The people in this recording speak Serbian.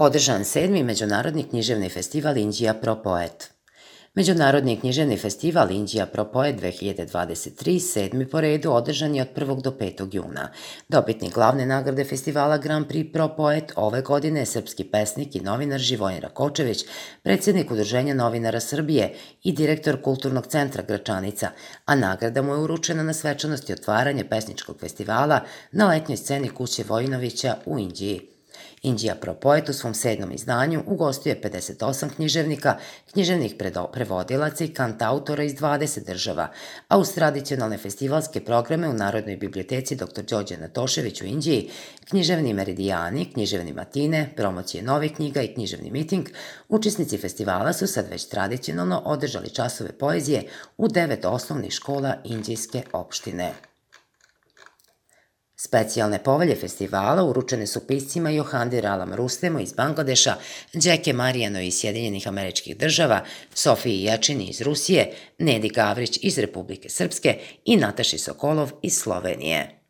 Održan 7. Međunarodni književni festival Inđija Propoet. Međunarodni književni festival Inđija Propoet 2023, 7. po redu, održan je od 1. do 5. juna. Dobitnik glavne nagrade festivala Grand Prix Propoet ove godine je srpski pesnik i novinar Živojin Rakočević, predsjednik Udruženja novinara Srbije i direktor Kulturnog centra Gračanica, a nagrada mu je uručena na svečanosti otvaranja pesničkog festivala na letnjoj sceni kuće Vojinovića u Inđiji. Inđija Propoet u svom 7. izdanju ugostuje 58 književnika, književnih prevodilaca i kantautora iz 20 država, a uz tradicionalne festivalske programe u Narodnoj biblioteci dr. Đorđe Natošević u Inđiji, književni meridijani, književni matine, promocije novih knjiga i književni miting, učesnici festivala su sad već tradicionalno održali časove poezije u 9 osnovnih škola Inđijske opštine. Specijalne povelje festivala uručene su piscima Johandi Ralam Rustemu iz Bangladeša, Đeke Marijanoj iz Sjedinjenih Američkih Država, Sofiji Jačini iz Rusije, Nedi Gavrić iz Republike Srpske i Nataši Sokolov iz Slovenije.